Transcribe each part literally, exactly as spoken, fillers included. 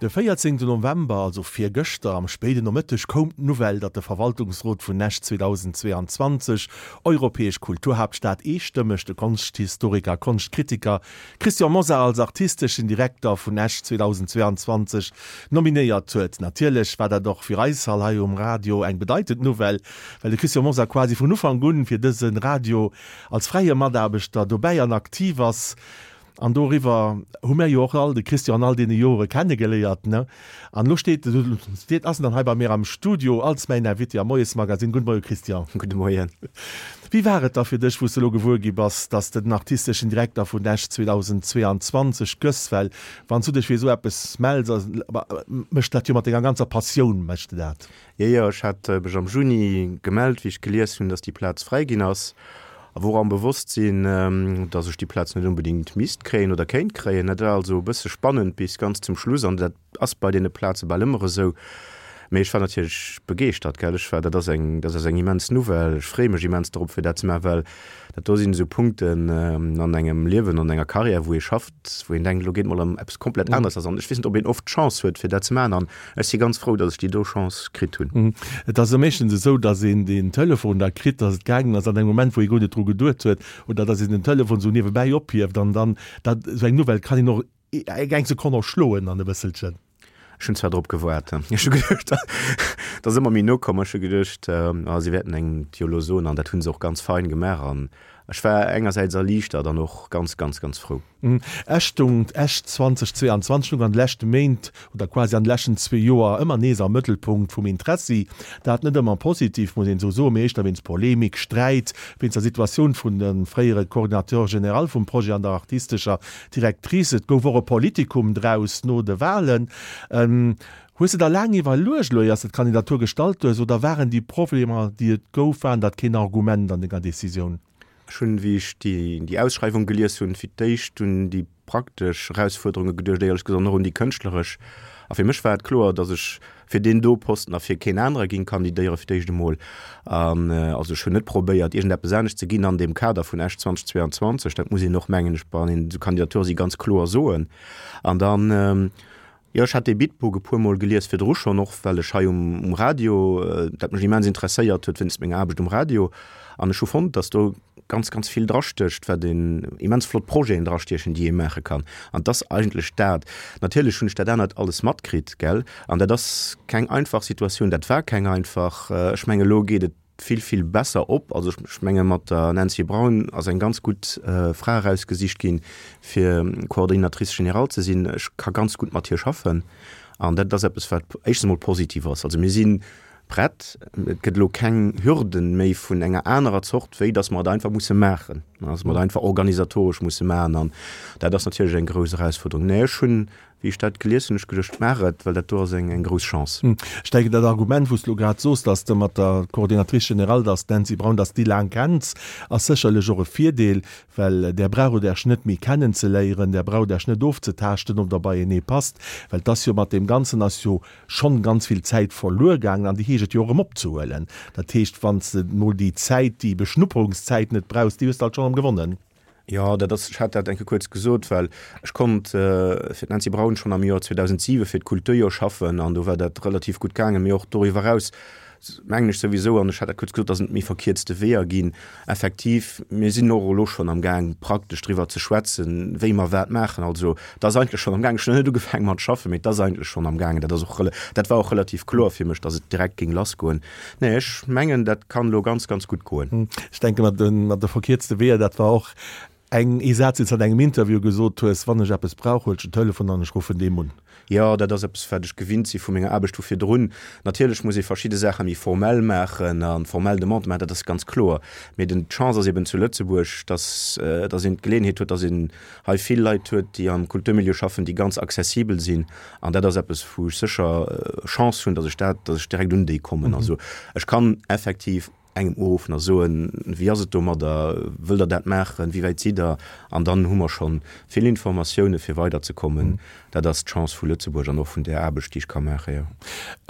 De véierzéngten November, also virgëschter am spéiden Nomëtteg, koum d'Nouvelle, datt de Verwaltungsrot vun Esch zweedausendzweeanzwanzeg, Europäesch Kulturhaaptstad, eestëmmeg de Konschthistoriker a Konschtkritiker Christian Mosar als artisteschen Direkter vun Esch zweedausendzweeanzwanzeg nominéiert huet. Natierlech war dat och fir eis all hei um Radio eng bedeitend Nouvelle, well de Christian Mosar quasi vun Ufank un fir dëse Radio als fräie Mataarbechter dobäi an aktiv ass. An doriwwer hu mär jo och all de Christian an all deene Jore kennegeléiert, ne? An elo steet, steet, ass en dann hei bei mir am Studio als mäin Invité am Moiesmagazin. Gudde Moie Christian. Gudde Moien. Wéi war et da fir dech, wou s de elo gewuer gi bass, dass de den artisteschen Direkter vun Esch zweedausendzweeanzwanzeg gëss? Well wann s du dech fir esou eppes mells, méchs de dat jo mat denger ganzer Passioun, méchs de dat. Jo, jo, ech hat mech am Juni gemellt, wéi ech gelies hunn, dass déi Plaz fräi ginn ass. A wor am Bewosstsinn, dass ech déi Plaz net onbedéngt misst kréien oder kéint kréien. Dat war also e bësse spannend bis ganz zum Schluss an dat ass bei deene Plaze bal ëmmer esou. Mee ech war natierlech begeeschtert, gell. Ech war, dat ass eng, dat ass eng immens Nouvelle. Ech freeë mech immens dorop, fir dat ze maachen, well dat do sinn esou Punkten an engem Liewen, an enger Karriär, wou ee schafft, wou een denkt, elo geet mol ëm eppes komplett aneres lass. An ech weess net, ob een oft d'Chance huet, fir dat ze maachen. An ech si ganz frou, dass ech déi do Chance kritt hunn. Et ass jo meeschtens esou, dass een den Telefon da kritt, dass et gaangen ass an engem Moment, wou ee guer net dru geduet huet, oder dass een den Telefon esou niewebäi ophieft an dann, dat, esou eng Nouvelle kann een och eng Sekonn erschloen an e bësselchen. Ech hunn zwar drop gewaart. Ech hu geduecht, dat ass ëmmer méi no komm. Ech hu geduecht, ah, si wäerten engem et jo elo soen an dat hu se och ganz fein gemaach an ech war engersäits erliichtert an och ganz, ganz, ganz frou. Esch stung, Esch zweedausendzweianzwanzeg stung an de leschte Méint oder quasi an de leschten zwee Joer ëmmer nees am Mëttelpunkt vum Interessi. Dat net ëmmer positiv, muss een esou soen, mee éischter wéinst Polemik, Sträit, wéinst der Situatioun vun dem fréiere Coordinateur général vum Projet an der artistescher Directrice. Et gouf och e Politikum draus no de Wahlen. Hues de der laang iwwerluecht elo, ier s de d'Kandidatur gestallt hues, oder waren déi Problemer, déi et gouf, waren dat keen Argument an denger Decisioun? Ech hunn, wéi ech déi Ausschreiwung gelies hunn, fir d'éischt un déi praktesch Erausfuerderunge geduecht, éierlech gesot, an och un déi kënschtleresch. A fir mech war et kloer, datt ech fir deen do Posten a fir keen anere géing kandidéieren, fir d'éischt emol. An also ech hunn net probéiert, iergendeppes anescht ze ginn an deem Kader vun Esch zweedausendzweianzwanzeg. Dat muss een och, mengen ech, wann een esou Kandidature si ganz kloer soen. An dann, Jo, ech hat dee Bitbook e puer Mol gelies virdru schonn, och well ech hei um Radio, dat mech immens interesséiert huet wéinst menger Aarbecht um Radio. An ech hu fonnt, datt do ganz, ganz vill drastécht, wat een, immens flott Projeten drastiechen, déi ee maache kann. An 't ass eigentlech dat. Natierlech hunn ech dat anert alles matkritt, gell. An dat ass keng einfach Situatioun, dat war keng einfach. Ech mengen, elo geet et vill, vill besser op. Also ech menge mat der Nancy Braun ass eng ganz gutt Fra erausgesicht ginn, fir Coordinatrice générale ze sinn. Ech ka ganz gutt mat hir schaffen an dat ass eppes, wat éischtens emol positiv ass. Also mir si prett, et gëtt elo keng Hürden méi vun enger anerer Zort, wéi datt mer et einfach musse maachen, datt mer et einfach organisatoresch musse maachen an dat ass natierlech eng grouss Erausfuerderung. Mä ech hunn Wéi ech dat gelies hunn, hunn ech geduecht, maach et, well dat do ass eng grouss Chance. Ech denken, dat Argument, wou s de elo grad soos, dass de mat der Coordinatrice générale, dass d'Nancy Braun, dass de déi laang kenns, ass sécherlech och e Virdeel, well där braucht Iech net méi kennenzeléieren, där braucht Iech net ofzetaaschten, ob Der beienee passt, well et ass jo mat deem Ganzen ass jo schonn ganz vill Zäit verluer gaangen an déi heescht et jo och erëm opzehuelen. Dat heescht, wann s de mol déi Zäit, déi Beschnupperungszäit net brauchs, déi hues de alt schonn erëm gewonnen. Jo, dat ass, ech hat dat eng Kéier kuerz gesot, well ech konnt fir d'Nancy Braun schonn am Joer zweedausentsiwe fir d'Kulturjoer schaffen an do war dat relativ gutt gaangen. Mee och doriwwer eraus mengen ech souwisou, an ech hat dat kuerz gesot, dass et méi verkierzte Weeër ginn. Effektiv, mir sinn och elo schonn amgaang praktesch driwwer ze schwätzen, wéi mer wat maachen. Also et ass eigentlech schonn amgaang. Ech hunn nach net ugefaange mat schaffen, mee et ass eigentlech schonn amgaangen. Dat ass och, dat war och relativ kloer fir mech, dass et direkt géing lassgoen. Nee, ech mengen, dat kann elo ganz, ganz gutt goen. Ech denke mat de verkierzte Weeër, dat war och eng, ee Saz, deen s de an engem Interview gesot hues, Wann ech eppes brauch, huel ech den Telefon an ech ruffen deem un. Jo, dat ass eppes, wat ech gewinnt si vu menger Aarbecht vu virdrun. Natierlech muss ee verschidde Saache méi formell maachen a formell Demandë maachen, dat ass ganz kloer. Mee den, d'Chance ass eben zu Lëtzebuerg, dass, dass een d'Geleeënheet huet, dass een hei vill Leit huet, déi am Kulturmilieu schaffen, déi ganz accessibel sinn. An dat ass eppes, wou ech sécher Chance hunn, dass ech dat, dass ech direkt un déi kommen. Also ech kann effektiv engem uruffen a soen, wéi ass et domadder, wëllt Der dat maachen, wéi wäit sidd Der? An dann hu mer scho vill Informatioune fir weiderzekommen. Dat ass d'Chance vu Lëtzebuerg an och vun där Aarbecht, déi ech ka maachen, jo.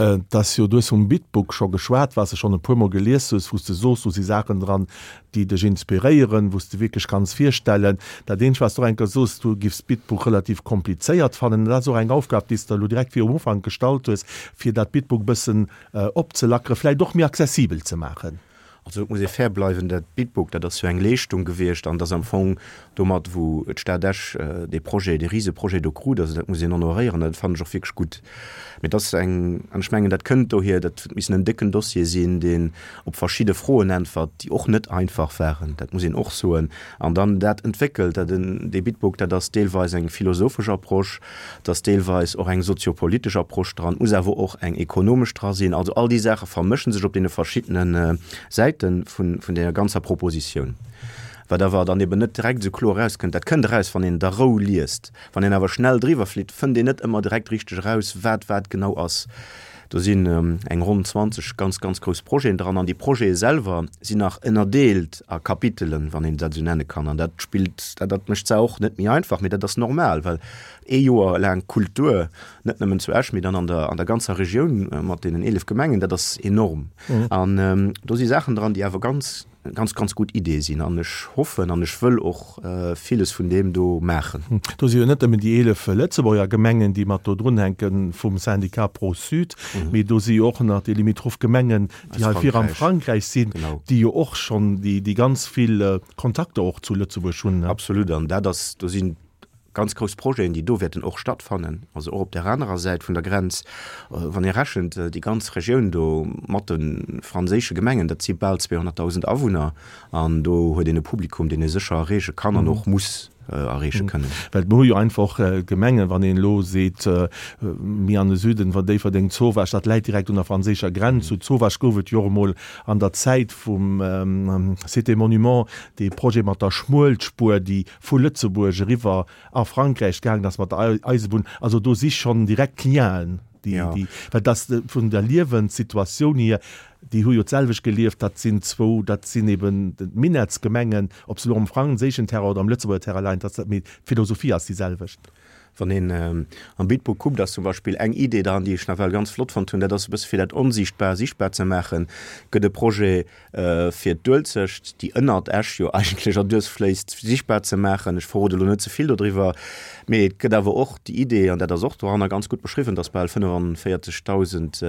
Et ass jo, du hues vum Bitbook scho geschwat, wat s de schonn e puermol gelies hues, wou s de soos, do si Saachen dran, déi dech inspiréieren, wou s de wierklech kanns virstellen. Dat eenzegt, wat s de och eng Kéier soos, du giffs d'Bitbook relativ komplizéiert fannen. Dat ass och eng Aufgab, déi s de elo direkt virum Ufank gestallt hues, fir dat Bitbook e bëssen opzelackeren, vläicht och méi accessibel ze maachen. Also et muss ee fair bleiwen, dat Bitbook, dat ass jo eng Leeschtung gewiescht an et ass am Fong domat, wou d'Stad Esch dee Projet, dee Riseprojet do krut, also dat muss een honoréieren, dat fannen ech och wierklech gutt. Mee et ass eng, an ech mengen, dat kënnt dohier, dat huet missen en décken Dossier sinn, deen op verschidde Froen äntwert, déi och net einfach waren, dat muss een och soen, an dann dat entwéckelt. Dat en, dee Bitbook, dat ass deelweis eng philosophesch Approche, et ass deelweis och eng soziopolitesch Approche dran, et muss awer och eng ekonomesch dra sinn. Also all déi Saache vermëschen sech op deene verschiddene Säite vun, vun deer ganzer Propositioun. Wat awer dann eben net direkt esou kloer erauskënnt, dat kënnt eraus, wann een et a Rou liest. Wann een awer schnell driwwer flitt, fënnt een net ëmmer direkt richteg eraus, wat wat genau ass. Do sinn eng ronn zwanzeg ganz, ganz grouss Projeten dran an déi Projete selwer sinn nach ënnerdeelt a Kapitelen, wann een dat esou nenne kann. An dat spillt, dat, dat mécht d'Saach och net méi einfach, mee dat ass normal, well ee Joer laang Kultur, net nëmmen zu Esch, mee dann an der, an der ganzer Regioun mat deenen eelef Gemengen, dat ass enorm. An do si Saachen dran, déi awer ganz, ganz, ganz gutt Ideeë sinn. An ech hoffen an ech wëll och villes vun deem do maachen. Do si jo net nëmmen déi eelef Lëtzebuerger Gemengen, déi mat do drunhänke vum Syndicat Pro-Sud, mee do si jo och nach déi limitroph Gemengen, déi hei vir am Frankräich sinn, déi jo och schonn déi, déi ganz vill Kontakter och zu Lëtzebuerg hunn. Absolut. An dat ass, do sinn ganz grouss Projeten, déi do wäerten och stattfannen, also och op där anerer Säit vun der Grenz. Wann ee rechent, déi ganz Regioun do mat de franséische Gemengen, dat si bal zweehonnertdausend Awunner an do huet een e Publikum, deen ee sécher erreeche kann an och muss erreeche kënnen. Well mer hu jo einfach och Gemengen, wann een elo seet, méi an de Süden, wa Déifferdeng, Zowaasch, dat läit direkt un der franséischer Grenz. Zu Zowaasch gouf et jo och emol an der Zäit vum Cité Monument dee Projet mat der Schmuelspur, déi vu Lëtzebuerg eriwwer a Frankräich gaangen ass mat der Eisebunn. Also do si schonn direkt Lienen, déi, déi, well dass vun der Liewenssituatioun hier, déi hu jo d'selwecht gelieft, dat sinn zwou, dat sinn eben d'Minettsgemengen, ob se elo am franséischen Terrain oder am Lëtzebuerger Terrain leien, dat, mee d'Philosophie ass déi selwecht. Wann een am Bitburg kuckt, ass zum Beispill eng Idee dran, déi ech nawell ganz flott fonnt hunn, dat ass e bësse fir dat Onsiichtbar sichtbar ze maachen, gëtt e Projet fir d'Uelzecht, déi ënnert Esch jo eigentlech erduerch fléisst, sichtbar ze maachen. Ech verrode elo net ze vill dodriwwer, mee et gëtt awer och déi Idee, an dat ass och doranner ganz gutt beschriwwen, dass bal fënnefanvéierzegdausend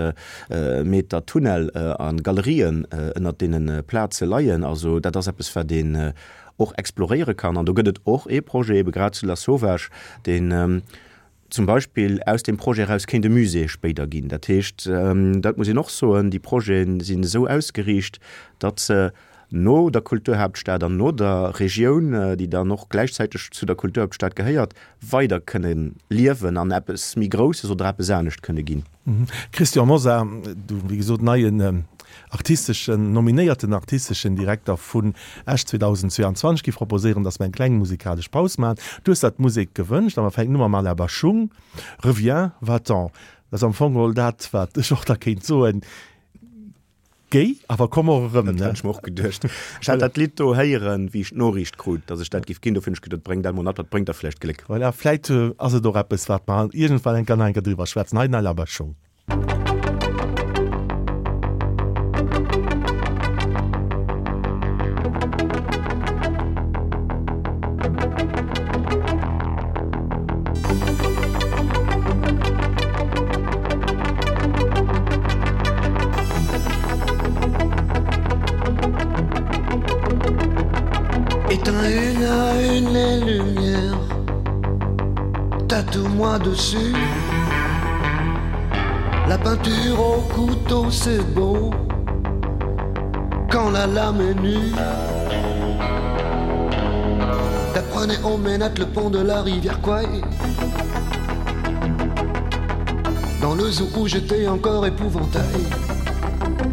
Meter Tunnel a Galerien ënnert deene Plaze leien. Also dat ass eppes, wat een och exploréiere kann. An do gëtt et och ee Projet, ebe grad zu Lasauvage, deen zum Beispill aus deem Projet eraus kéint e Musée spéider ginn. Dat heescht, dat muss een och soen, déi Projete sinn esou ausgeriicht, datt se no der Kulturhaaptstad an no der Regioun, déi dann och gläichzäiteg zu der Kulturhaaptstad gehéiert, weider kënne liewen an eppes méi Grousses oder eppes anescht kënne ginn. Christian Mosar, du wéi gesot neien artisteschen, nominéierten artisteschen Direkter vun Esch zweedausendzweeanzwanzeg, giff proposéieren, dass mer eng kleng musikalesch Paus maachen. Du hues der d'Musek gewënscht a mer fänken u mam Alain Bashung, Reviens, va-t'en. Dat ass am Fong geholl dat, wat ech och da kéint soen, Géi, awer komm och erëm, ne? Dat hat ech mer och geduecht. Ech hat dat Lidd do héieren, wéi ech d'Noriicht krut, dass ech dat giff ginn. Dofir hunn ech geduet, bréng dat mol mat, dat bréngt der vläicht Gléck. Voilà, vläicht ass et och eppes, wat mer iergendwann eng Kéier nach eng Kéier driwwer schwätzen. Hei den Alain Bashung. Éteins une à une les lumières Tatoue-moi dessus La peinture au couteau c'est beau Quand la lame est nue T'apprenais au ménate le pont de la rivière Kwai Dans le zoo où j'étais encore épouvantail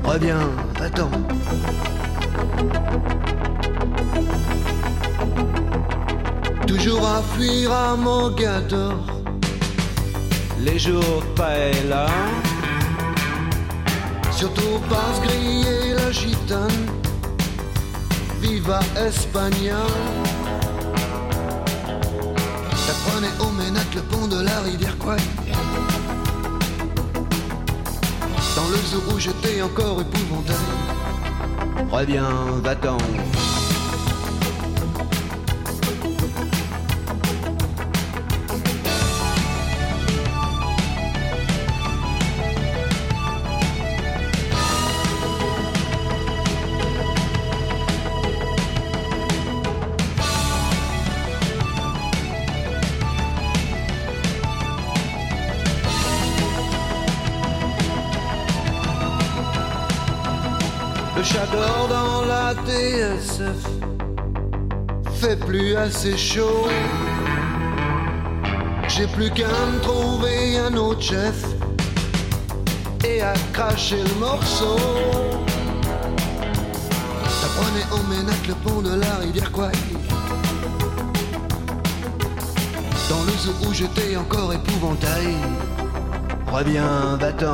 Reviens, va-t'en Toujours à fuir à Mogador Les jours paella Surtout pas se griller la gitane Viva España. Ça prenait au Ménat le pont de la rivière Kwai. Dans le zoo où j'étais encore épouvantail. Reviens, va-t'en. Le chat dort dans la T S F Fait plus assez chaud. J'ai plus qu'à me trouver un autre chef et à cracher le morceau. Ça prenait en ménage le pont de la rivière Kwai. Dans le zoo où j'étais encore épouvantail. Reviens, va-t'en.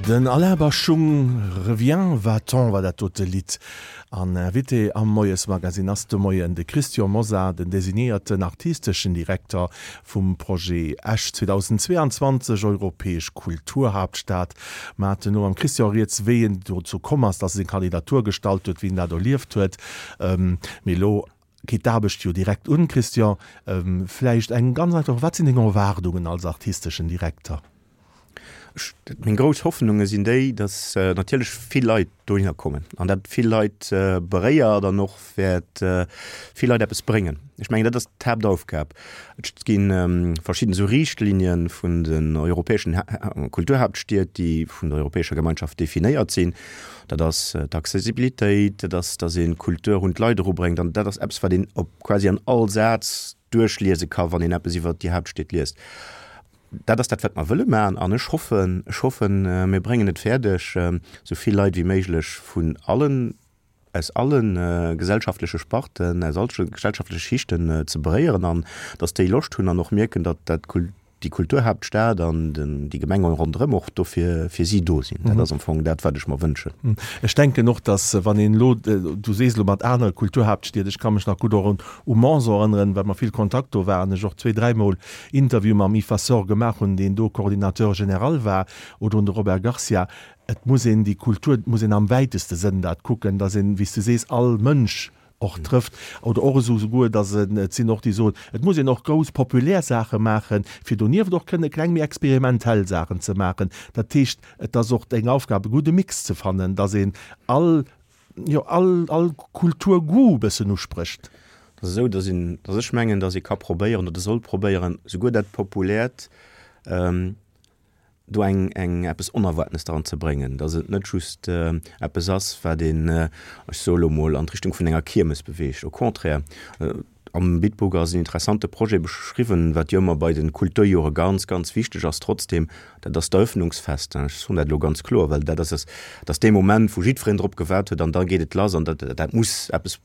Den Alain Bashung revient, va-t-on war dat dote Lidd. An Invité am Moiesmagazin ass de Moien de Christian Mosar, den designéierten artisteschen Direkter vum Projet Esch zweitausendzweiundzwanzeg Europäesch Kulturhauptstadt. Mer haten elo mam Christian rieds, wéi en dozou komm ass, dass e seng Kandidatur gestallt huet, wéi en dat erlieft huet. Mee elo geet d'Aarbecht jo direkt un, Christian. Vläicht eng ganz einfach, wat sinn deng Erwaardungen als artisteschen Direkter? Meng grouss Hoffnunge sinn déi, dass natierlech vill Leit dohinner kommen an dat vill Leit beréiert an och wäert vill Leit eppes bréngen. Ech mengen, dat ass d'Haaptaufgab. Et gi verschidden esou Richtlinien vun den europäeschen Kulturhauptstied, déi vun der Europäescher Gemeinschaft definéiert sinn. Dat ass d'Accessibilitéit, dat ass, dass een d'Kultur un d'Leit erubréngt an dat ass eppes, wat een op quasi an all Saz duerchliese ka, wann een eppes iwwer déi Hauptstied liest. Dat ass dat, wat mer wëlle maachen an ech hoffen, ech hoffen, mir bréngen et fäerdeg, esou vill Leit wéi méiglech vun allen, aus allen gesellschaftleche Sparten, aus all gesellschaftleche Schichten ze beréieren an dass déi Loscht hunn an och mierken, datt dat déi Kulturhauptstad an den, déi Gemenge ronderëm och dofir fir si do sinn. Dat ass am Fong dat, wat ech mer wënschen. Ech denken och, dass wann een elo, du sees elo mat anere Kulturhauptstied, ech ka mech nach gutt och un u Mons erënneren, well mer vill Kontakt do waren, ech och zwee, dräimol Interview mam Yves Vasseur gemaach hunn, deen do Coordinateur général war, oder un de Robert Garcia. Et muss een déi Kultur, et muss een am wäiteste Sënn dat kucken, dass een, wéi s du sees, all Mënsch och trëfft oder och esou souguer, dass en, et sinn och déi soen, et muss een och grouss populär Saache maachen, fir donieft och kënne kleng méi experimentell Saachen ze maachen. Dat heescht, et ass och eng Aufgab, e gudde Mix ze fannen, dass een all, jo, all, all Kulturgoût e bëssen usprécht. Dat ass esou, dass een, dass ech mengen, dass ee ka probéieren oder soll probéieren, souguer dat Populäert, do eng, eng eppes Onerwaartenes dran ze bréngen, dass et net just eppes ass, wat een, ech soe lo mol, an d'Richtung vun enger Kiermes beweegt. Au contraire, am Bitburg ass en interessante Projet beschriwwen, wat jo ëmmer bei de Kulturjore ganz, ganz wichteg ass trotzdem, dat ass d'Eröffnungsfest. Ech soen dat elo ganz kloer, well dat ass, dat ass dee Moment, wou jiddwereen drop gewaart huet an da geet et lass an dat, dat muss eppes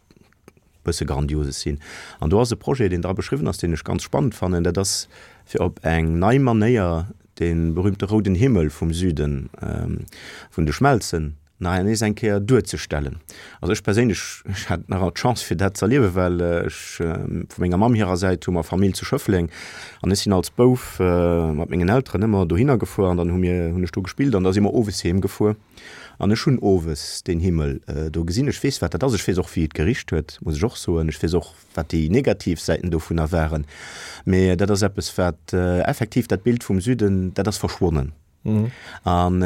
bësse Grandioses sinn. An do ass e Projet, deen dra beschriwwen ass, deen ech ganz spannend fannen, dat ass fir op eng nei Manéier dee berühmte rouden Himmel vum Süden, vun de Schmelzen, nach nees eng Kéier duerzestellen. Also ech perséinlech, ech hat nach alt d'Chance fir dat z'erliewen, well ech vu menger Mamm hirer Säit hu mer Famill zu Schëffleng an ech sinn als Bouf mat mengen Elteren ëmmer dohinner gefuer an dann hu mir, hunn ech do gespillt an da si mer owes heem gefuer an ech hunn owes deen Himmel do gesinn. Ech weess wat dat ass, ech weess och wéi et gericht huet, muss ech och soen, ech weess och wat déi negativ Säiten dovunner waren, mee dat ass eppes wat effektiv dat Bild vum Süden, dat ass verschwonnen. An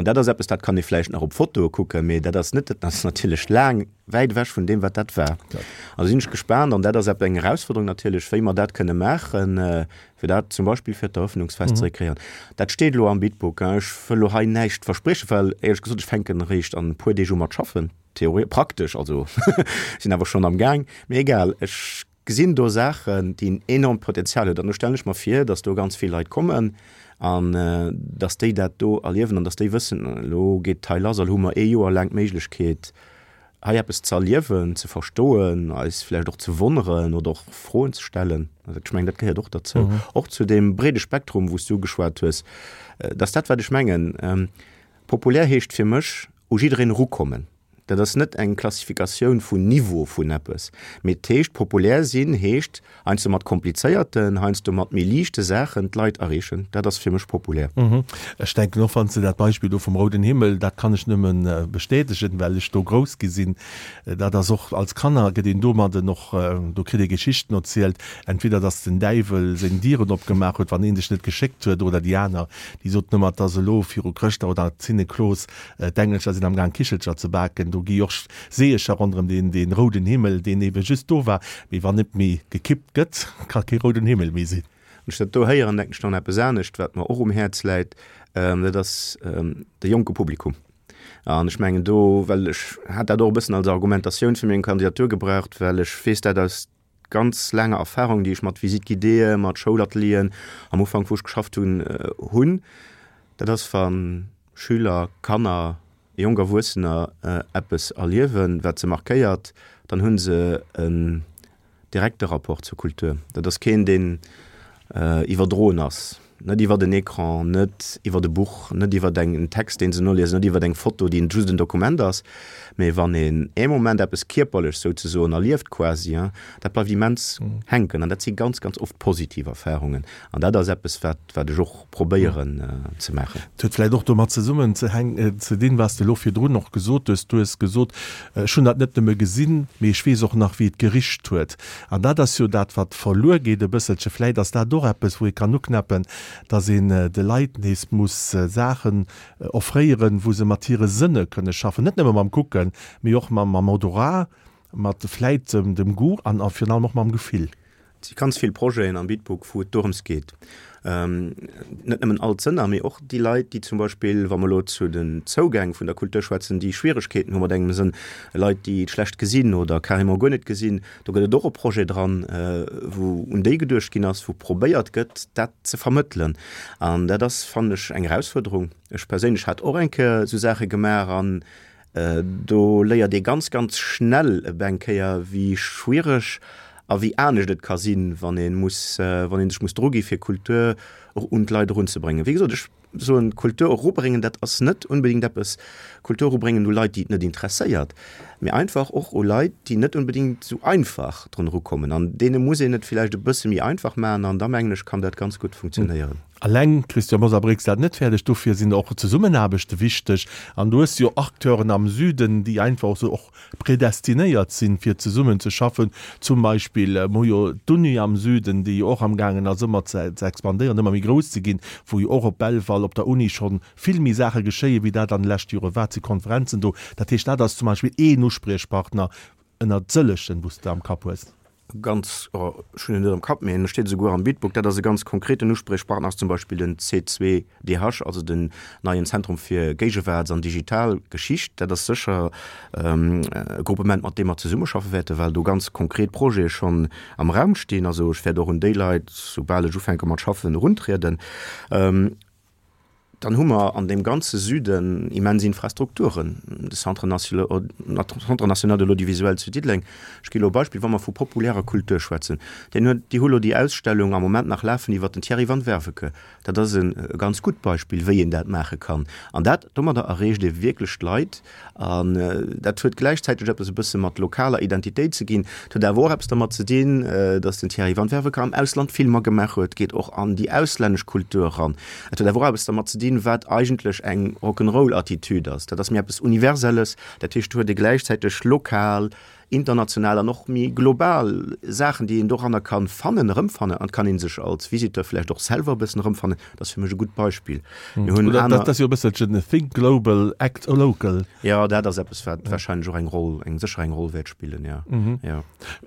dat ass eppes, dat kann ee vläicht nach op Fotoe kucken, mee dat ass net, dat ass natierlech laang wäit ewech vun deem, wat dat war. Also sinn ech gespaant an dat ass eng Erausforderung natierlech, wéi mer dat kënne maachen, fir dat zum Beispill fir d'Eröffnungsfest ze rekréieren. Dat steet elo am Bitbook. Ech wëll elo hei näischt verspriechen, well éierlech gesot, ech fänken eréischt an e puer Deeg u mat schaffen, theore praktesch, also sinn awer schonn am Gaang, mee egal, ech gesinn do Saachen, déi en enormt Potenzial huet an do stellen ech mer vir, datt do ganz vill Leit kommen an datt déi dat do erliewen an datt déi wëssen, elo geet et hei lass a lo hu mer ee Joer laang d'Méiglechkeet, hei eppes ze erliewen, ze verstoen, eis vläicht och ze wonneren oder och Froen ze stellen. Also ech mengen, dat gehéiert och derzou, och zu deem breede Spektrum, wou s du geschwat hues. Dat ass dat, wat ech mengen. Populär heescht fir mech, u jiddereen erukommen. Dat ass net eng Klassifikatioun vun Niveau vun eppes, mee et heescht, populär sinn heescht heiansdo mat komplizéierten, heiansdo mat méi liichte Saachen d'Leit erreechen. Dat ass fir mech populär. Ech denken och, wann s de dat Beispill do vum Rouden Himmel, dat kann ech nëmme bestätegen, well ech do grouss gi sinn, dat ass och, als Kanner gëtt een domadden och, do kritt ee Geschichten erzielt, entweder datt den Däiwel seng Dieren opgemaach huet, wann een sech net geschéckt huet, oder déi aner, déi soten ëmmer, et ass elo viru Chrëschtdag oder Zinneklos, d'Engelcher sinn am Gaang Kichelcher ze baken, do gi och Seecher ronderëm deen, deen rouden Himmel, deen ebe just do war, mee wann net méi gekippt gëtt, ka kee rouden Himmel méi sinn. Wann ech dat do héieren, denken ech nach un eppes anescht, wat mer och um Häerz läit, dat ass de jonke Publikum. An ech mengen do, well ech hat dat och e bëssen als Argumentatioun fir meng Kandidatur gebraucht, well ech weess dat aus ganz laanger Erfahrung, déi ech mat Visite-guidéeë, mat Schoulatelieren am Ufank, wou ech geschafft hunn, hunn, dat ass, wa Schüler, Kanner, jonk Erwuessener eppes erliewen, wat se markéiert, dann hu se en direkte Rapport zur Kultur. Dat ass keen, deen iwwerdroen ass, net iwwert en Ecran, net iwwert e Buch, net iwwert en Text, deen se noliesen, net iwwert eng Foto, déi just en Dokument ass, mee wann een ee Moment eppes kierperlech souzesoen erlieft quasi, dat bleift immens hänken an dat si ganz, ganz oft positiv Erfarungen an dat ass eppes, wat, wat ech och probéieren ze maachen. Et huet vläicht och domat zesummen ze hänken, ze dinn, wat s de elo virdrun och gesot hues. Du hues gesot, ech hunn dat net nëmme gesinn, mee ech weess och nach, wéi et gericht huet. An dat ass jo dat, wat verluer geet e bësselche. Vläicht ass dat och eppes, wou ee kann uknäppen, dass een de Leit nees muss Saachen offréieren, wou se mat hire Sënne kënne schaffen, net nëmme mam Kucken, mee och mam Odorat, mat vläit dem Goût an virun allem och mam Gefill. Et si ganz vill Projeten am Bitburg, wou et dorëms geet, net nëmmen all d'Sënner, mee och déi Leit, déi zum Beispill, wa mer elo zu den Zougäng vun der Kultur schwätzen, déi Schwieregkeeten hu mat engem Sënn, Leit, déi schlecht gesinn oder carrément guer net gesinn, do gëtt et och e Projet dran, wou un déi geduecht ginn ass, wou probéiert gëtt, dat ze vermëttelen. An dat ass, fannen ech, eng Erausfuerderung. Ech perséinlech hat och eng Kéier esou Saache gemaach an do léiert ee ganz, ganz schnell ebe eng Kéier, wéi schwiereg a wéi anescht et ka sinn, wann ee muss, wann ee sech muss drugi fir Kultur och un d'Leit erunzebréngen. Wéi gesot, ech soen, Kultur erubréngen, dat ass net unbedéngt eppes, Kultur erubréngen u Leit, déi et net interesséiert, mee einfach och u Leit, déi net unbedéngt esou einfach drun erukommen. An deene muss een et villäicht e bësse méi einfach maachen an da mengen ech, kann dat ganz gutt funktionéieren. Alleng, Christian Mosar, bréngs dat net fäerdeg. Dofir sinn och Zesummenaarbechte wichteg. An du hues jo Acteuren am Süden, déi einfach esou och predestinéiert sinn, fir zesummen ze schaffen. Zum Beispill, mir hu jo d'Uni am Süden, déi jo och amgaangen ass, ëmmer ze expandéieren, ëmmer méi grouss ze ginn, wou jo och op Belval op der Uni scho vill méi Saache geschéien, wéi dat an de leschte Jore war. Et si Konferenzen do. Dat heescht, dat ass zum Beispill een Uspriechpartner ënnert sëllegen, wou s de am Kapp hues. Ganz, oh, ech hunn en net am Kapp, mee en steet esouguer am Bitbook, dat ass e ganz konkreten Uspriechpartner, ass zum Beispill den C zwei D H, also den neien Zentrum fir Géigewaarts an digital Geschicht. Dat ass sécher e Gruppement, mat deem mer zesummeschaffe wäerten, well do ganz konkret Projete schonn am Raum stinn. Also ech wäert och un déi Leit, soubal ech ufänke mat schaffen, eruntrieden. Dann hu mer an deem ganze Süden immens Infrastrukturen, de Centre national de l'audiovisuel zu Diddeleng. Ech gi elo e Beispill, wa mer vu populärer Kultur schwätzen, deen huet, déi hu elo déi Ausstellung am Moment nach lafen iwwert den Thierry van Werveke. Dat ass e ganz gutt Beispill, wéi een dat maache kann. An dat, domadder erreecht ee wierklech d'Leit. An dat huet gläichzäiteg eppes e bësse mat lokaler Identitéit ze ginn. Et huet awer och eppes dermat ze dinn, datt den Thierry van Werveke am Ausland Filmer gemaach huet, geet och an déi auslännesch Kultur eran. Et huet awer och eppes dermat ze dinn, wat eigentlech eng Rock'n'Roll-Attitüd ass. Dat ass méi eppes Universelles. Dat heescht, do huet ee gläichzäiteg lokal, international an och méi global Saachen, déi een doranner kann fannen, erëmfannen an kann een sech als Visiteur vläicht och selwer e bëssen erëmfannen. Dat ass fir mech e gutt Beispill. Mir hunn Oder aner. dat ass jo e bësselchen Think global, act local. Jo, dat ass eppes, wat wahrscheinlech och eng Roll, eng sécher eng Roll wäert spillen, jo. Jo.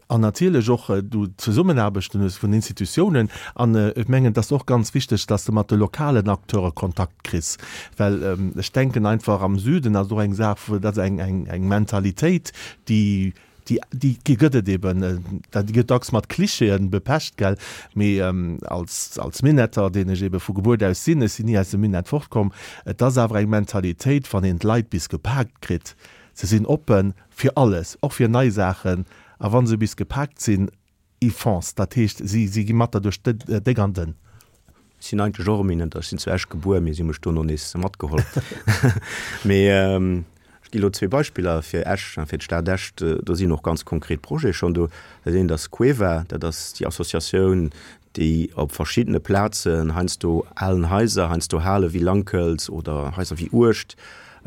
An natierlech och du Zesummenaarbechten hues vun Institutiounen. An ech mengen, et ass och ganz wichteg, dass de mat de lokalen Acteure Kontakt kriss, well ech denken einfach am Süden ass och eng Saach, dat ass eng, eng, eng Mentalitéit, déi, déi, déi gëtt et eben, déi gëtt dacks mat Klischeeën bepecht, gell, mee als, als Minetter, deen ech ebe vu Gebuert aus sinn, ech sinn ni aus dem Minett fortkomm, et ass awer eng Mentalitéit, wann een d'Leit bis gepaakt kritt, se sinn oppe fir alles, och fir nei Saachen, a wa se bis gepaakt sinn, ils foncent, dat heescht, si, si gi mat der duerch déck an dënn. Ech sinn eigentlech och e Minetter, ech sinn zu Esch gebuer, mee si hu mech dono nees matgeholl. Mee ech gi elo zwee Beispiller fir Esch, fir d'Stad Esch, do sinn och ganz konkret Projete schonn do. Dat eent ass Cueva, dat ass déi Associatioun, déi op verschiddene Plazen, heiansdo alen Haiser, heiansdo Hale wéi Lankelz oder Haiser wéi Uecht,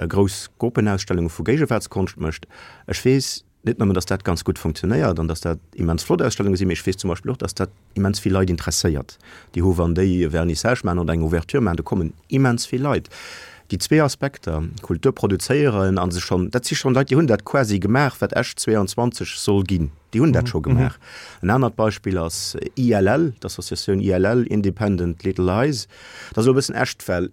grouss Gruppenausstellunge vu Géigewaartskonscht mécht. Ech weess net nëmmen, dass dat ganz gutt funktionéiert an dass dat immens flott Ausstellunge sinn, mee ech weess zum Beispill och, dass dat immens vill Leit interesséiert. Déi hu wann déi e Vernissage maachen oder eng Ouverture maachen, do kommen immens vill Leit. Déi zwee Aspekter, Kultur produzéieren a se schonn, dat si schonn Leit, déi hunn dat quasi gemaach, wat Esch zweiundzwanzeg soll ginn, déi hunn dat scho gemaach. En anert Beispill ass I L L, d'Associatioun I L L, Independent Little Lies. Dat ass elo e bëssen Esch, well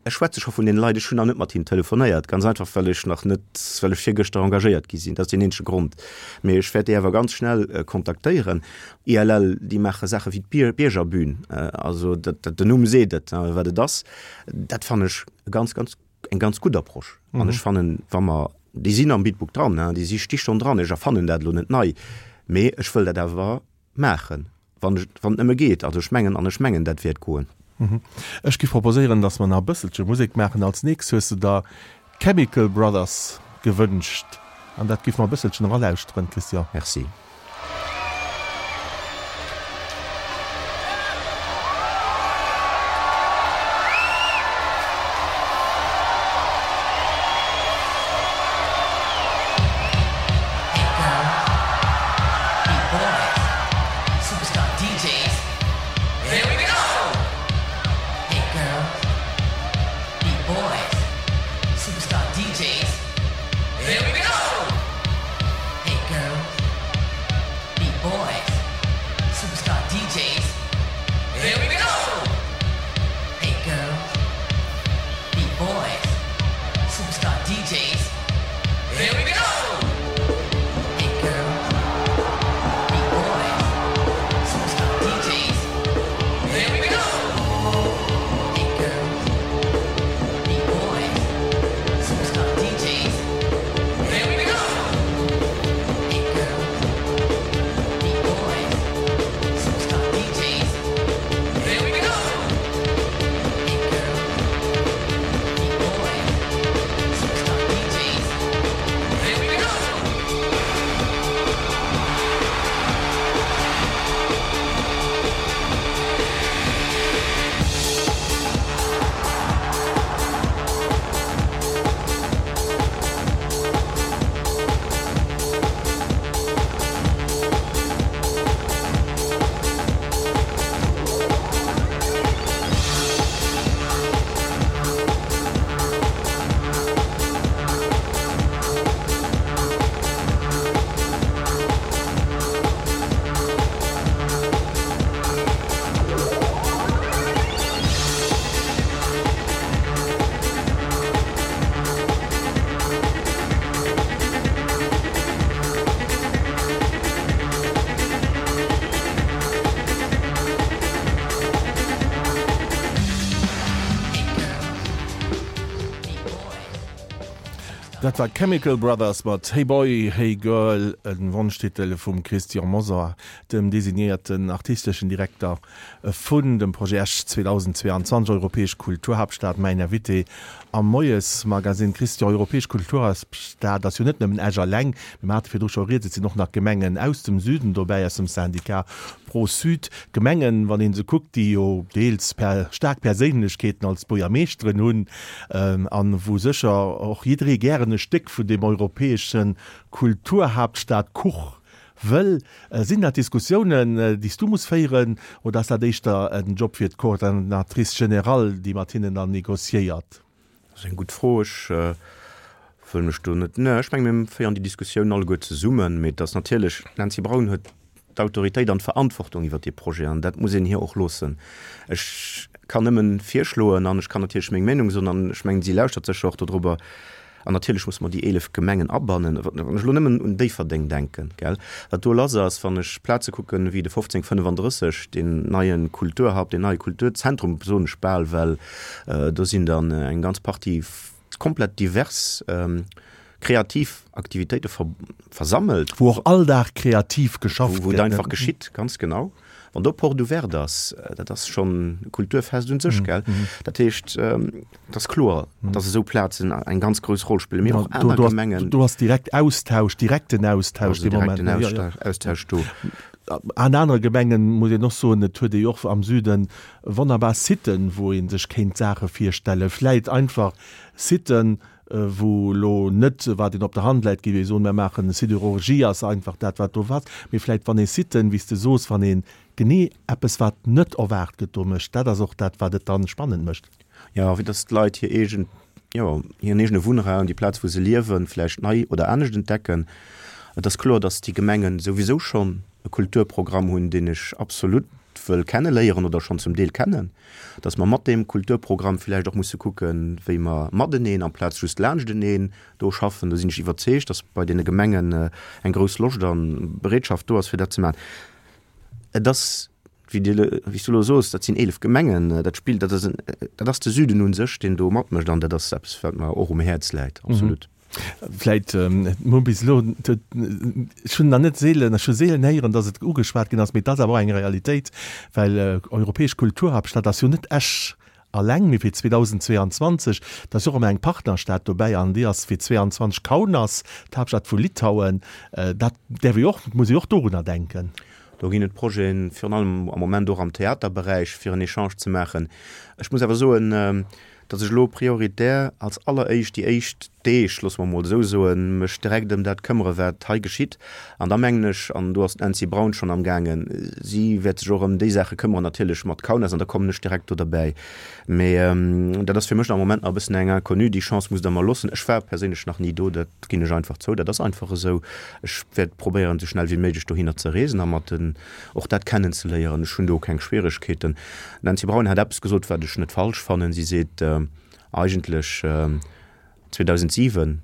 ech schwätze scho vun deene Leit, ech hunn nach net mat hinnen telefonéiert, ganz einfach well ech nach net, well ech virgëschter engagéiert gi sinn, dat ass deen eenzege Grond. Mee ech wäert déi awer ganz schnell kontaktéieren. I L L, déi maache Saache wéi d'Biergerbün, also dat, dat, den Numm seet et, wat et ass. Dat fannen ech e ganz, ganz, eng ganz gutt Approche. An ech fannen, wa mer, déi sinn am Bidbook dran, déi si sti schonn dran, ech erfannen dat elo net nei, mee ech wëll dat awer maachen. Wann ech, wann et nëmme geet. Also ech mengen, an ech mengen, dat wäert goen. Ech giff proposéieren, dass mer nach e bësselche Musek maachen. Als nächst hues de der Chemical Brothers gewënscht an dat giff mer e bësselchen eralauschteren, Christian. Merci. Dat war Chemical Brothers mat Hey Boy, Hey Girl, e Wonschtitel vum Christian Mosar, dem designéierten artisteschen Direkter vun dem Projet Esch zweedausendzweiundzwanzeg, Europäesch Kulturhaaptstad. Mäin Invité am Moiesmagazin. Christian, Europäesch Kulturhaaptstad ass jo net nëmmen Esch alleng. Mir hate virdru scho rieds, et sinn och nach Gemengen aus dem Süden dobäi, aus dem Syndicat Pro-Sud, Gemengen, wann ee se kuckt, déi jo deels per staark Perséinlechkeeten als Buergermeeschteren hunn, an wou sécher och jidderee gären e Stéck vun deem europäesche Kulturhaaptstad-Kuch wëll. Sinn dat Diskussiounen, déi s du muss féieren, oder ass dat éischter en Job fir d'Coordinatrice générale, déi mat hinnen dann négociéiert? Dat ass eng gutt Fro. Ech wëll mech do net, ne, ech menge mir féieren déi Diskussioun alleguer zesummen, mee et ass natierlech, d'Nancy Braun huet d'Autoritéit an d'Verantwortung iwwert dee Projet an dat muss een hir och loossen. Ech kann nëmmen virschloen an ech kann natierlech meng Meenung soen an ech mengen, si lauschtert sécher och dodrobber. An natierlech muss mer déi eelef Gemengen abannen. Wann ech elo nëmmen un Déifferdeng denken, gell, wat do lass ass, wann ech Plaze kucken wéi de fofzéng fënnefandrësseg, deen neie Kulturhub, deen neie Kulturzentrum, soen ech bal, well do sinn dann eng ganz Partie komplett divers kreativ Aktivitéite versammelt. Wou och all Dag kreativ geschafft gëtt. Wou et einfach geschitt, ganz genau. Wann do Porte ouverte ass, dat ass schonn e Kulturfest un sech, gell? Dat heescht, et ass kloer, dass esou Plazen eng ganz grouss Roll spillen, mee och aner Gemengen. Do ass direkt Austausch, direkten Austausch dee Moment. Do ass direkten Austausch do. An anere Gemengen, muss een och soen, et huet ee jo och am Süden wonnerbar Siten, wou ee sech kéint Saache virstellen, vläit einfach Siten, wou elo net, wat een op der Hand läit, géif ee soen, mir maachen Sidérurgie, ass einfach dat, wat do ass, mee vläit wann ee Siten, wéi s de soos, wann ee genee eppes, wat net erwaart gëtt, do mécht, dat ass och dat, wat et dann spannend mécht. Jo, fir dass d'Leit hir eegen, jo, hiren eegene Wunnraum, déi Plaz, wou se liewen, vläicht nei oder anescht entdecken. Et ass kloer, dass déi Gemengen souwisou schonn e Kulturprogramm hunn, deen ech absolut wëll kenneléieren oder schonn zum Deel kennen, dass mer mat deem Kulturprogramm vläicht och musse kucken, wéi mer mateneen amplaz just laanschteneen do schaffen. Do sinn ech iwwerzeegt, dass bei deene Gemengen eng grouss Loscht a Bereetschaft do ass, fir dat ze maachen. Et ass, wéi Dir, wéi s du elo soos, dat sinn eelef Gemengen, dat spillt, dat ass en, dat ass de Süden u sech, deen do matmécht an dat ass eppes, wat mer och um Häerz läit, absolut. Vläit, mir hu bis elo, ech hunn nach net seelen, ech hu seelen héieren, datt et ugeschwat ginn ass, mee et ass awer och eng Realitéit, well europäesch Kulturhaaptstad ass jo net Esch alleng, mee fir zweedausendzweeanzwanzeg, da ass jo och ëmmer eng Partnerstad dobäi an déi ass fir zweeanzwanzeg Kaunas, d'Haaptstad vu Litauen. Dat däerf ee jo och, muss ee jo och dorunner denken. Do ginn et Projeten, virun allem am Moment och am Theaterberäich, fir en Echange ze maachen. Ech muss awer soen, datt ech elo prioritär als alleréischt déi éischt Deeg, loosse mer emol esou soen, mech direkt ëm dat këmmere wat hei geschitt. An da mengen ech, an do ass d'Nancy Braun schonn amgaangen, si wäert sech och ëm déi Saache këmmeren, natierlech mat Kaunas, an da kommen ech direkt do derbäi. Mee dat ass fir mech am Moment nach e bëssen eng Inconnue. Déi Chance musst Der mer loossen. Ech war perséinlech nach ni do, dat ginn ech einfach zou, dat ass einfach esou. Ech wäert probéieren, esou schnell wéi méiglech dohinner ze reesen a mat den och dat kennenzeléieren. Ech hunn do keng Schwieregkeeten. D'Nancy Braun hat eppes gesot, wat ech net falsch fannen. Si seet, Eigentlech zweedausentsiwen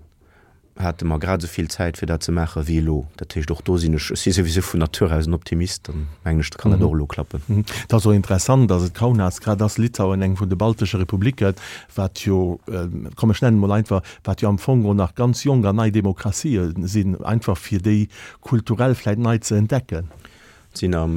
hate mer grad esou vill Zäit, fir dat ze maachen, wéi elo. Dat heescht, och do sinn ech, ech si souwisou vun Natur aus en Optimist, dann mengen ech, kann dat och elo klappen. Et ass och interessant, dass et Kaunas grad ass, Litauen, eng vun de baltesche Republiken, wat jo, komm ech nennen et mol einfach, wat jo am Fong och nach ganz jonk an nei Demokratië sinn, einfach fir déi kulturell vläit nei ze entdecken. Sinn am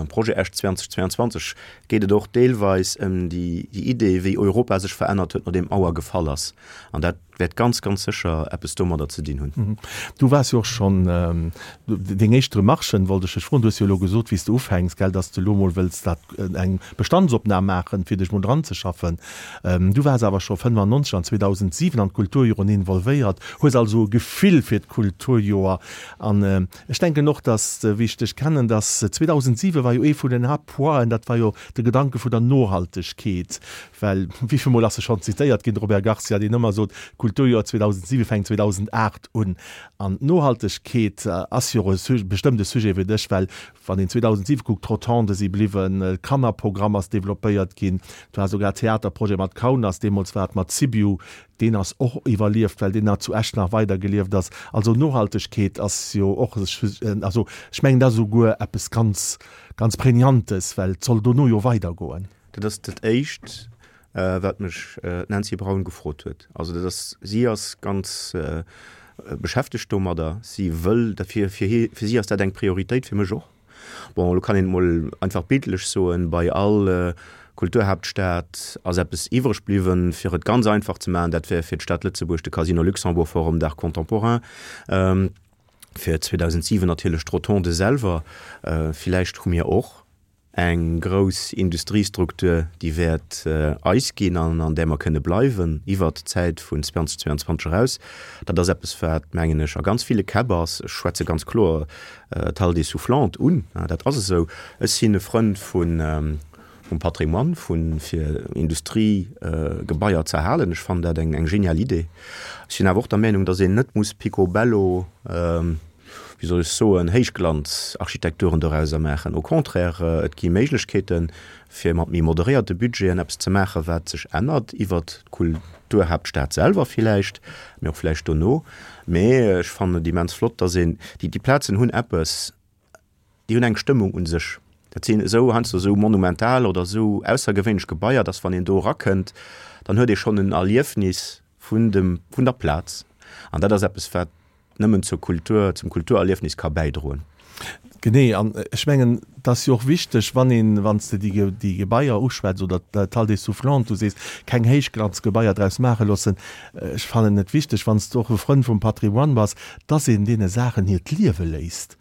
Projet Esch zweitausendzweiundzwanzeg geet et och deelweis ëm déi Idee, wéi Europa sech verännert huet, nodeem d'Mauer gefall ass. An dat wäert ganz, ganz sécher eppes domadder ze dinn hunn. Du waars jo och schonn, deng éischt Remarchen wollt ech dech froen, du hues jo elo gesot, wéi s de ufänks, gell, dass de elo mol wëlls dat eng Bestandsopnam maachen, fir dech mol dranzeschaffen. Du waars awer scho fënnefannonzeg an zweedausentsiwen an d'Kulturjoren involvéiert, hues also e Gefill fir d'Kulturjoer. An ech denken och, dass, wéi ech dech kennen, dass zweedausentsiwen war jo ee vun den Haaptpointen, dat war jo de Gedanke vun der Nohaltegkeet, well wéi vill Mol ass e schonn zitéiert ginn, de Robert Garcia, deen ëmmer sot, d'Kulturjoer zweedausentsiwen fänkt zweedausenaacht un. An d'Nohaltegkeet ass jo och e bestëmmt e Sujet fir dech, well wann een zweedausentsiwen kuckt, d'Rotonde si bliwwen, d'Kannerprogramm ass developpéiert ginn, et war souguer Theaterprojet mat Kaunas, deemools war et mat Sibiu, deen ass och iwwerlieft, well deen nach zu Esch nach weidergelieft ass. Also Nohaltegkeet ass jo och, also ech mengen, dat ass esouguer eppes ganz, ganz Prägnantes, well et soll dono jo weidergoen. Dat ass dat Éischt, wat mech d'Nancy Braun gefrot huet. Also dat ass, si ass ganz beschäftegt domadder, si wëll dat, fir, fir si ass dat eng Prioritéit, fir mech och. Bon, elo kann een et mol einfach bildlech soen, bei all Kulturhaaptstad ass eppes iwwreg bliwwen, fir et ganz einfach ze maachen, dat wär fir d'Stad Lëtzebuerg de Casino Luxembourg Forum d'Art Contemporain. Fir zweedausendsiwen natierlech d'Rotonde selwer. Villäicht hu mir och eng grouss Industriestruktur, déi wäert eis ginn an an där mer kënne bleiwen iwwert d'Zäit vun zweitausendzweiundzwanzeg eraus. Dat ass eppes, wat, mengen ech, a ganz ville Käpp ass. Ech schwätze ganz kloer d'Halle des Soufflantes un, dat ass esou. Ech sinn e Frënd vun vum Patrimoine, vu fir Industriegebaier ze erhalen. Ech fannen dat eng genial Idee. Ech sinn awer och der Meenung, datt een net muss picobello, wéi soll ech soen, Héichglanzarchitekturen dorauser maachen. Au contraire, et gi Méiglechkeeten, fir mat méi moderéierte Budgeten eppes ze maachen, wat sech ännert iwwert d'Kulturhaaptstad selwer villäicht, mee och vläicht dono. Mee ech fannen et immens flott, dass een, déi, déi Plazen hunn eppes, déi hunn eng Stëmmung u sech. Dat sinn esou heiansdo esou monumental oder esou aussergewéinlech Gebaier, dass wann een do erakënnt, dann huet ee schonn en Erliefnis vun dem, vun der Plaz. An dat ass eppes, wat nëmmen zur Kultur, zum Kulturerliefnis ka bäidroen. Genee, an ech mengen, et ass jo och wichteg, wann een, wann s de déi, déi Gebaier uschwätz oder d'Halle des Soufflantes, du sees, keng Héichglanzgebaier draus maache loossen. Ech fannen et wichteg, wann s de och e Frënd vum Patrimoine bass, dass een deene Saachen hiert Liewe léisst.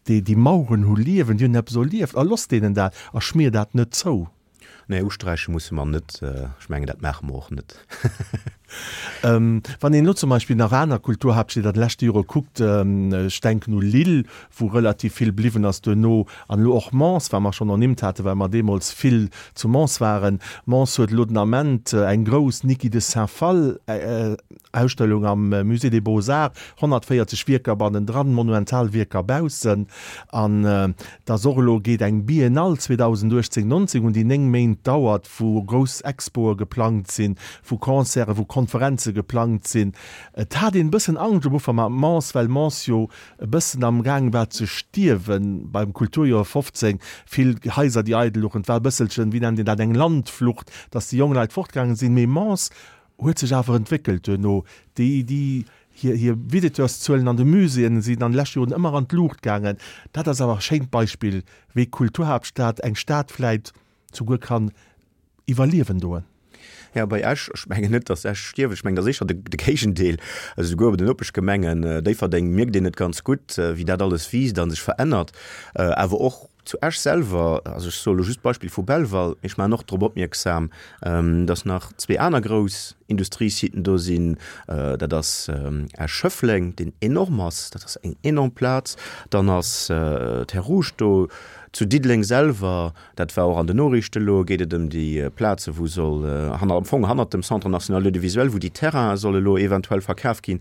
Déi, déi Maueren hu Liewen, déi hunn eppes erlieft a looss deenen dat a schmier dat net zou. Nee, usträiche musse mer net. Ech mengen, dat maache mer och net. Wann een elo zum Beispill nach aner Kulturhaaptstied an de leschte Jore kuckt, ech denken u Lille, wou relativ vill bliwwen ass duerno, an elo och Mons, wat mer schonn ernimmt haten, well mer deemools vill zu Mons waren. Mons huet elo den Ament eng grouss Niki de Saint-Phalle Ausstellung am Musée des Beaux-Arts, honnertvéierzeg Wierker bannendran, monumental Wierker baussen. An dass och elo geet eng Biennale zweedausenduechtzéng, nonzéng un, déi néng Méint dauert, wou grouss Expoe geplangt sinn, wou Concerten, wou Konferenze geplangt sinn. Et hat een e bëssen Angscht um Ufank mat Mons, well Mons jo e bëssen am Gaang war ze stierwen beim Kulturjoer fofzéng, vill Haiser déi eidel louchen, et war e bësselchen, wéi nennt een dat, eng Landflucht, dass déi jonk Leit fortgaangen sinn. Mee Mons huet sech awer entwéckelt duerno. Déi, déi hir, hir Visiteurszuelen an de Muséeën sinn an de leschte Joren ëmmer an d'Luucht gaangen. Dat ass awer e schéint Beispill, wéi Kulturhaaptstad eng Stad vläit souguer kann iwwerliewen doen. Jo, bei Esch, ech mengen net, datt Esch stierft, ech mengen, dat ass éischter de Géigendeel. Also souguer bei den Nopeschgemengen Déifferdeng mierkt een et ganz gutt, wéi dat alles wiisst a sech verännert. Awer och zu Esch selwer, also ech soe lo just d'Beispill vu Belval, mee ech maachen och drop opmierksam, datt nach zwee aner grouss Industriesiten do sinn, dat ass Esch-Schëffleng, deen enorm ass, dat ass eng enorm Plaz, dann ass Terres Rouges do, zu Diddeleng selwer, dat war och an den Noriichte elo, geet et ëm déi Plaze wou soll hanner, am Fong hannert dem Centre national de l'audiovisuel, wou déi Terrainen solle elo eventuell verkaf ginn.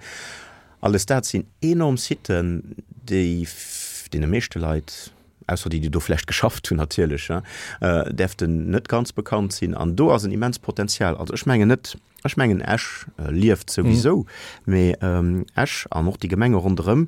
Alles dat sinn enorm Siten, déi deene meeschte Leit, ausser déi, déi do vläicht geschafft hunn natierlech, däerften net ganz bekannt sinn. An do ass en immenst Potenzial. Also ech mengen net, ech mengen Esch lieft souwisou, mee Esch an och déi Gemenge ronderëm,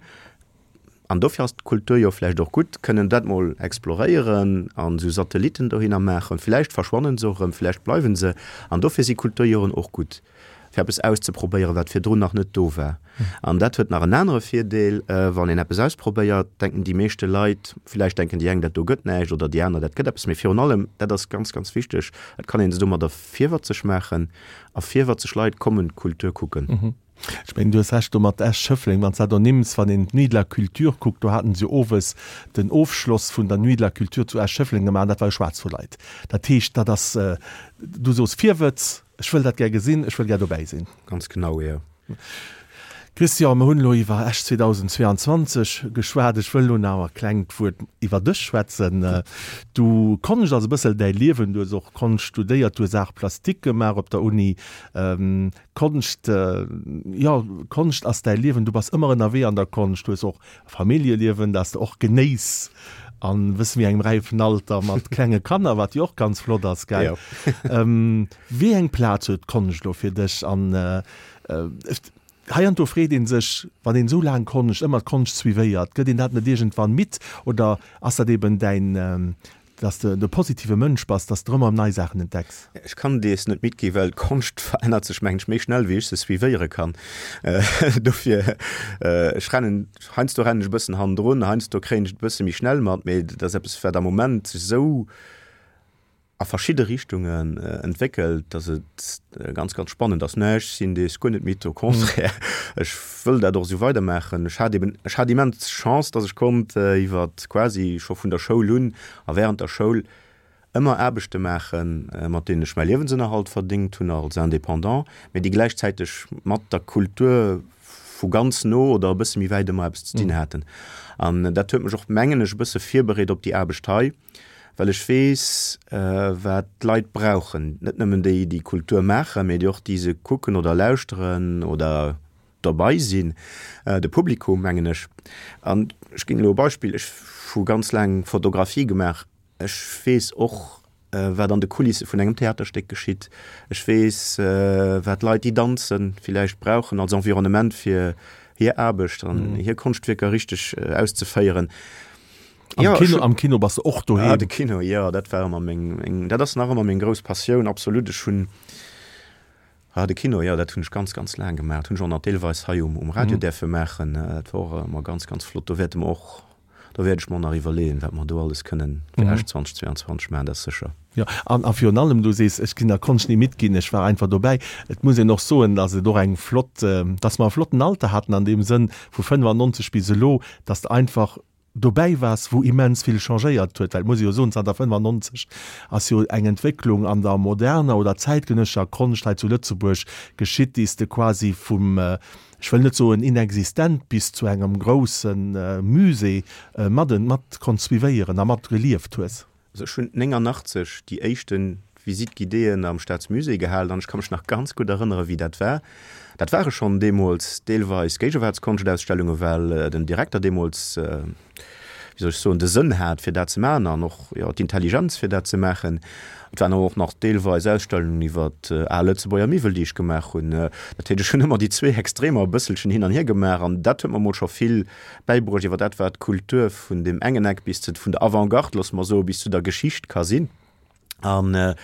an dofir ass d'Kultur jo vläicht och gutt, kënnen dat mol exploréieren an esou Satellitten dohinner maachen. Vläicht verschwannen se och erëm, vläicht bleiwen se. An dofir si Kulturjoren och gutt, fir eppes auszeprobéieren, wat virdrun nach net do war. An dat huet nach en anere Virdeel, Wann een eppes ausprobéiert, denken déi meeschte Leit, vläicht denken déi eng, dat do gëtt näischt, oder déi aner, dat gëtt eppes, mee virun allem, dat ass ganz, ganz wichteg, et kann ee se domadder virwëtzeg maachen a virwëtzeg Leit kommen d'Kultur kucken. Ech mengen, du hues Recht do mat Esch-Schëffleng, wann s de dat ernimms. Wann een d'Nuit de la Culture kuckt, do haten se jo owes den Ofschloss vun der Nuit de la Culture zu Esch-Schëffleng gemaach an dat war jo schwaarz vu Leit. Dat heescht, dat ass, du sos Virwëtz, ech wëll dat gär gesinn, ech wëll gär dobäi sinn. Ganz genau, jo. Christian, mir hunn elo iwwer Esch zweedausendzweeanzwanzeg geschwat. Ech wëll elo nach e klengt Wuert iwwer dech schwätzen. Du, Konscht ass e bëssel däi Liewen. Du hues och Konscht studéiert, du hues Arts plastiques gemaach op der Uni. Konscht, jo, Konscht ass däi Liewen. Du bass ëmmer ënnerwee an der Konscht. Du hues och e Familljeliewen, dat s de och genéiss an wësse wéi engem räifen Alter mat klenge Kanner, wat jo och ganz flott ass, gell? Wéi eng Plaz huet d'Konscht elo fir dech? An heiansdo freet ee sech, wann een esou laang Konscht, ëmmer d'Konscht suivéiert, gëtt een dat net iergendwann midd? Oder ass dat eben däin, dass de e positive Mënsch bass, dass de ëmmer nei Saachen entdecks? Ech kann dees net midd ginn, well d'Konscht verännert sech, mengen ech, méi schnell wéi ech se suivéiere kann. Dofir, ech rennen, heiansdo rennen ech e bëssen hannendrun, heiansdo kréien ech et e bësse méi schnell mat, mee dat ass eppes, wat am Moment sech esou a verschidde Richtungen entwéckelt, dass et ganz, ganz spannend ass. Mä ech sinn dees guer net midd, au contraire, ech wëll dat och esou weidermaachen. Ech hat eben, ech hat immens Chance, dass ech konnt iwwer quasi scho vun der Schoul un a während der Schoul ëmmer Aarbechte maachen, mat deenen ech mäi Liewensënnerhalt verdéngt hunn als Indépendant, mä déi gläichzäiteg mat der Kultur vu ganz no oder e bësse méi wäit ëmmer eppes ze dinn haten. An dat huet mech och, mengen ech, e bësse virbereet op déi Aarbecht hei. Well ech weess, wat d'Leit brauchen, net nëmmen déi, déi Kultur maachen, mee déi och, déi se kucken oder lauschteren oder derbei sinn, de Publikum, mengen ech. An ech ginn elo e Beispill, Ech hu ganz laang Fotografie gemaach. Ech weess och, wat an de Kulisse vun engem Theaterstéck geschitt. Ech weess, wat Leit, déi danzen, villäicht brauchen als Environnement, fir hir Aarbecht an hir Konschtwierker richteg auszeféieren. Am ja, Kino, am Kino bass de och doheem. Ah, de Kino, ja, dat war ëmmer meng, meng, dat ass nach ëmmer meng grouss Passioun, absolut. Ech hunn, ah, de Kino, ja, dat hunn ech ganz, ganz laang gemaach. Hunn ech och nach deelweis hei um, um Radio mm. däerfe maachen. Dat war och ëmmer ganz, ganz flott. Do wäerte mer och, do wäert ech mer nach iwwerleeën, wat mer do alles kënnen fir mm. Esch zweitausendzweiundzwanzeg maachen, dat ass sécher. Jo, an a virun allem, du sees, ech ginn der Konscht ni midd ginn, ech war einfach dobäi. Et muss een och soen, dass et och eng flott, dass mer e flotten Alter haten an deem Sënn, vu fënnefannonzeg bis elo, dass de einfach dobäi waars, wou immens vill changéiert huet, well et muss ee jo soen, zanter fënnefannonzeg ass jo eng Entwécklung an der moderner oder zäitgenëssescher Konscht hei zu Lëtzebuerg geschitt, déi s de quasi vum, ech wëll net soen inexistent, bis zu engem grousse Musée mat mat konnt suivéieren a mat gelieft hues. Also ech hunn néngannachtzeg déi éischte Visite guidéeën am Staatsmusée gehalen an ech ka mech nach ganz gutt erënnere wéi dat war. Dat ware schonn deemools deelweis Géigewaartskonschtaustellunge well den Direkter deemools, wéi soll ech soen, de Sënn hat fir dat ze maachen an och, jo, d'Intelligenz fir dat ze maachen. Et waren awer och nach deelweis Ausstellungen iwwer al Lëtzebuerger Miwwel déi ech gemaach hunn. Dat heescht ech hunn ëmmer déi zwee Extremer e bësselchen hin an hier gemaach an dat huet mer mol scho vill bäibruecht iwwer dat wat d'Kultur vun deem engen Eck bis zu, vun der Avantgarde, loosse mer soen, bis zu der Geschicht ka sinn. An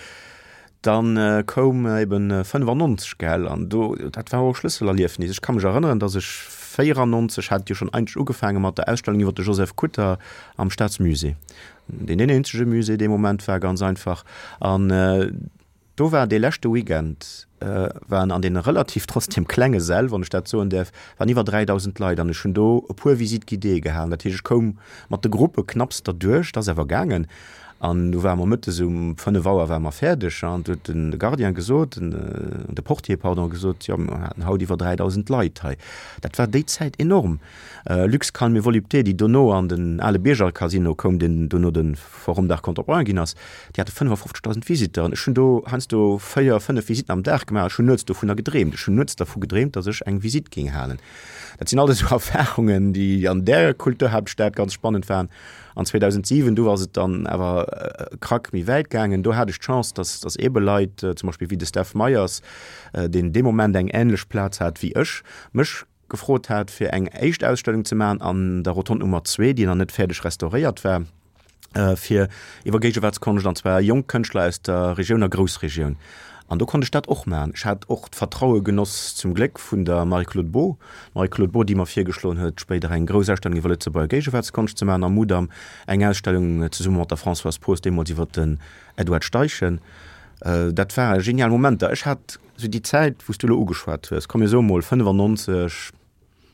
dann koum eben fënnefannonzeg, gell, an do, dat war och e Schlësselerliefnis. Ech ka mech erënneren, datt ech véierannonzeg hat et jo schonn eigentlech ugefaange mat der Ausstellung iwwer de Joseph Kutter am Staatsmusée, deen deen eenzege Musée dee Moment war, ganz einfach. An do war dee leschte Weekend, waren an deene relativ trotzdem klenge Säll, wann ech dat soen däerf, waren iwwer dräidausend Leit an ech hunn do e puer Visites guidées gehalen. Dat heescht, ech koum mat de Gruppe knapps derduerch, dat ass awer gaangen. An du ware mer mëttes um fënnef Auer ware mer fäerdeg an du huet den Gardien gesot, de Portier, pardon, gesot, jo mer haten haut iwwer dräidausend Leit hei. Dat war déi Zäit enorm. Luxe Calme et Volupté, déi dono an den ale Bierger-Casino koum, deen dono de Forum d'Art Contemporain ginn ass, déi hate fënnefafofzegdausend Visiteuren. Ech hunn do heiansdo véier, fënnef Visitten am Dag gemaach. Ech hunn nuets dovunner gedreemt. Ech hunn nuets dervu gedreemt, datt ech eng Visitt géing halen. Dat sinn alles esou Erfarungen, déi an där Kulturhaaptstad ganz spannend waren. An zweedausentsiwen, du ass et dann awer e Krack méi wäit gaangen. Do hat ech d'Chance, dass, dass eebe Leit, zum Beispill wéi de Steph Meyers, deen dee Moment eng änlech Plaz hat wéi ech, mech gefrot hat, fir eng éischt Ausstellung ze maachen an der Rotonde Nummer zwee, déi nach net fäerdeg restauréiert war, fir iwwer Géigewaartskonscht, an zwar jonk Kënschtler aus der Regioun a Groussregioun. An do konnt ech dat och maachen. Ech hat och d'Vertraue genoss, zum Gléck, vun der Marie-Claude Beaud. D'Marie-Claude Beaud, déi mer virgeschloen huet, spéider eng grouss Ausstellung iwwer Lëtzebuerger Géigewaartskonscht ze maachen am Mudam, eng Ausstellung zesumme mat der Françoise Poos, deemools iwwer den Edward Steichen. Dat ware genial Momenter. Ech hat esou déi Zäit, wou s du elo ugeschwat hues, komm mir soe mol fënnefannonzeg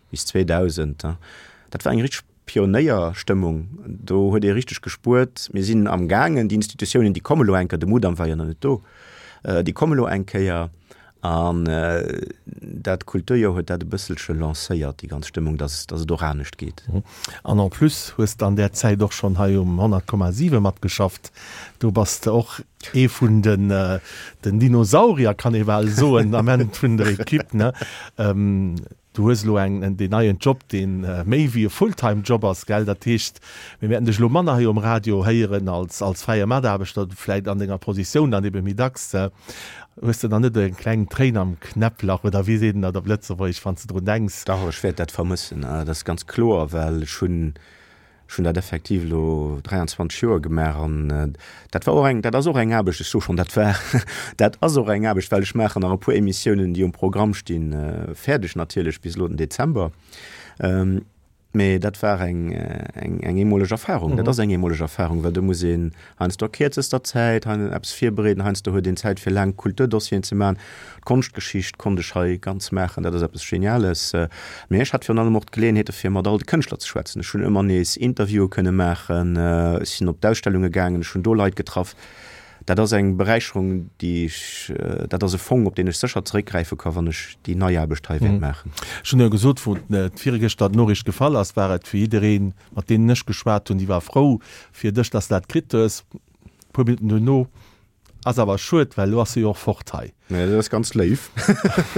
bis zweedausend, dat war eng richteg Pionéierstëmmung, do huet ee richteg gespuert, mir sinn am gaangen, déi Institutiounen, déi komme lo eng Kéier, de Mudam war jo nach net do, déi komme lo eng Kéier. An dat Kulturjoer huet dat e bësselche lancéiert, déi ganz Stëmmung, dass dass et och anescht geet. An en plus hues de an där Zäit och schonn hei um honnert Komma siwe matgeschafft. Do bass de och ee vun den den Dinosaurier, kann ee bal soen, am Enn vun der Equipe, ne? Du hues elo eng, deen neien Job, dee méi wéi e Fulltime-Job ass, gell? Dat heescht, mir wäerten dech elo manner hei um Radio héieren als, als fräie Mataarbechter, vläit an denger Positioun dann ebe méi dacks. Hues de dann net eng kleng Tréin am Knäpplach, oder wéi seet een dat op Lëtzebuergesch, wann s de drun denks? Dach, ech wäert dat vermëssen, dat ass ganz kloer, well ech hunn, Ech hunn dat effektiv elo dräianzwanzeg Joer gemaach an dat war och eng, dat ass och eng Aarbecht, ech soe schonn dat war, dat ass och eng Aarbecht, well ech maachen nach e puer Emissiounen, déi um Programm stinn, fäerdeg natierlech bis elo den Dezember. Mee dat war eng, eng, eng eemoleg Erfahrung. Dat ass eng eemoleg Erfahrung, well do muss een heiansdo a kierzester Zäit hei eppes virbereeden, heiansdo huet een Zäit fir laang Kulturdossieren ze maachen. D'Konschtgeschicht konnt ech hei ganz maachen, dat ass eppes Geniales. Mee ech hat virun allem och d'Geleeënheet fir mat all de Kënschtler ze schwätzen. Ech hunn ëmmer nees Interviewe kënne maachen, ech sinn op d'Ausstellunge gaangen, ech hunn do Leit getraff. Dat ass eng Beräicherung, déi ech, dat ass e Fong, op deen ech sécher zeréckgräife ka wann ech déi nei Aarbecht hei wäert maachen. Ech hunn jo gesot, wou virgëschter d'Noriicht gefall ass, war et fir jiddereen, mat deenen ech geschwat hunn, déi war frou fir dech, dass de dat kritt hues. E puer Minutten duerno ass awer schued, well elo ass se jo och fort hei. Nee, dat ass ganz léif.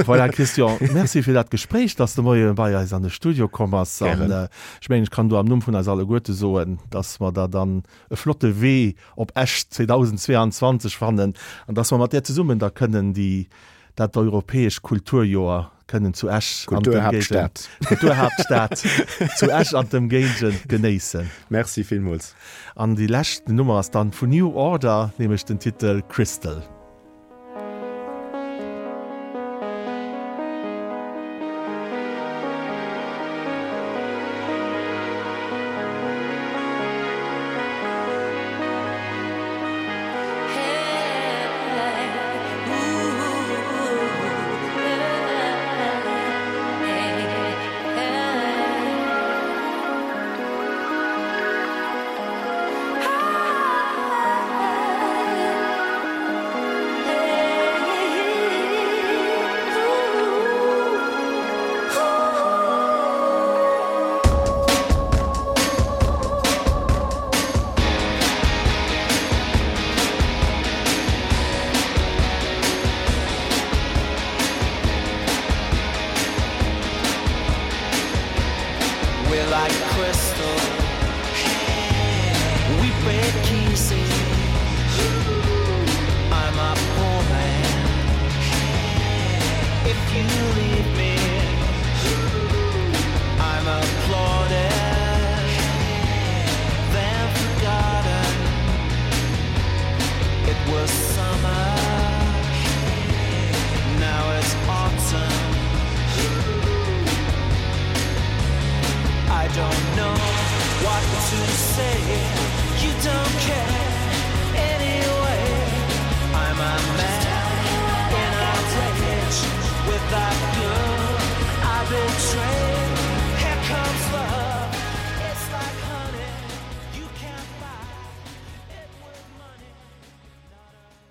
Voilà, Christian, merci fir dat Gespréich, dass de Moie bei eis an de Studio komm bass. An ech mengen, ech kann do am Numm vun eis alleguerte soen, dass mer der dann e flotte Wee op Esch zweedausendzweeanzwanzeg fannen an dass mer mat där zesummen da kënnen déi, dat europäesch Kulturjoer kënnen zu Esch an Kulturhaaptstad. Kulturhaaptstad zu Esch an d'Ëmgéigend genéissen. Merci villmools. An déi lescht Nummer ass dann vun New Order, nämlech den Titel Crystal. I don't know what to say. You don't care.